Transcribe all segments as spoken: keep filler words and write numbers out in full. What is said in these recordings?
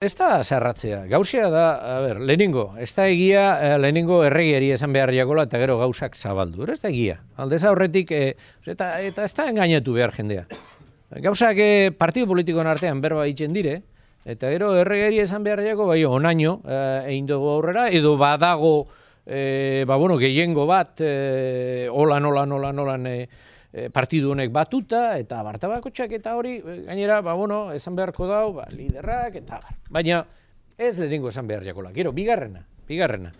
Ez da zerratzea, gauzea da, a ber, lehenengo, ez da egia, lehenengo erregiari esan behar jakola eta gero gauzak zabaldu, ez da egia. Aldez aurretik, e, eta, eta ez da engainatu behar jendea. Gauzak e, partido politikoen artean berba itzen dire, eta gero erregiari esan behar jako, bai, onaino, e, egin dugu aurrera, edo badago, e, ba, bueno, gehiengo bat, e, holan, holan, holan, holan, e, partidu honek batuta, eta bartabakotxak eta hori, gainera, ba, bueno, esan beharko dau, ba, liderrak, eta bar. Baina, ez lehenengo esan behar jakola. Gero, bigarrena, bigarrena.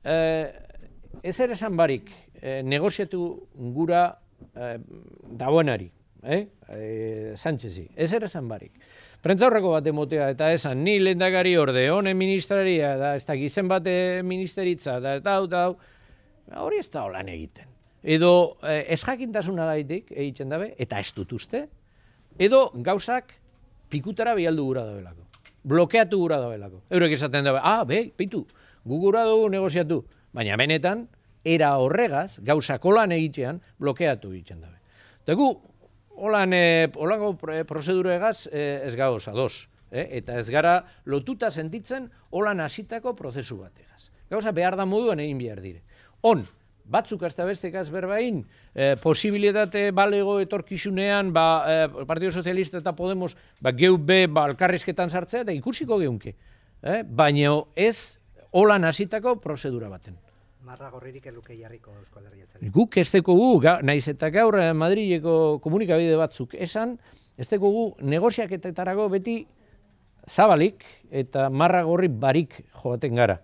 Eh, ez ere esan barik, eh, negoziatu gura eh, dagoenari, eh? eh, Sánchezi, ez ere esan barik. Prentzaurreko bat emotea, eta esan, ni lehendakari orde, honen ministraria, da, ez da gizen bate ministeritza, da, eta hau, eta hau, hori ez da holan egiten. Edo eh, ez jakintasuna gaitik egiten dabe, eta ez dut uste, edo gauzak pikutara bialdu gura dabelako, blokeatu gura dabelako. Eurek esaten dabe, ah, be, peitu, gu gura dugu negoziatu, baina benetan, era horregaz, gauzak holan egitean, blokeatu egiten dabe. Eta gu, holan, eh, holango prozeduregaz eh, ez gauz, ados, eh? Eta ez gara lotuta sentitzen holan hasitako prozesu bategaz. Gauza behar da moduan egin behar dire. On, batzuk hasta bestekaz berbain, eh, posibilitate balego etorkizunean, ba, eh, Partido Socialista eta Podemos, ba, geu be, ba, alkarrizketan sartzea, eta ikusiko geunke. Eh? Baina ez holan hasitako prozedura baten. Marra gorririk eluke jarriko Eusko Alderdi Jeltzaleak. Guk ez dekogu, naiz eta gaur Madrileko komunikabide batzuk esan, ez dekogu negoziaketetarago beti zabalik eta marra gorri barik joaten gara.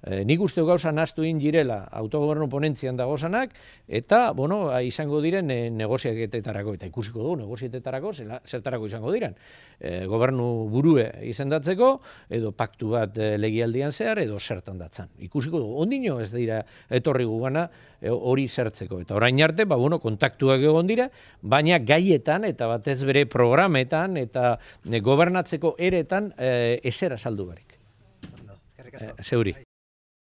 E, nik uste gauza nahastu egin girela autogobernu ponentzian dagozanak, eta, bueno, izango diren e, negoziaketetarako, eta ikusiko dugu negoziaketetarako zertarako izango diren. E, gobernu burue izendatzeko, edo paktu bat e, legialdian zehar, edo zertan datzan. Ikusiko dugu, ondino ez dira etorri gugana e, hori zertzeko. Eta orain arte, ba, bueno, kontaktuak egon dira, baina gaietan, eta batez bere programetan, eta e, gobernatzeko eretan e, ezera saldu barik. Eskerrik asko. E, zeuri.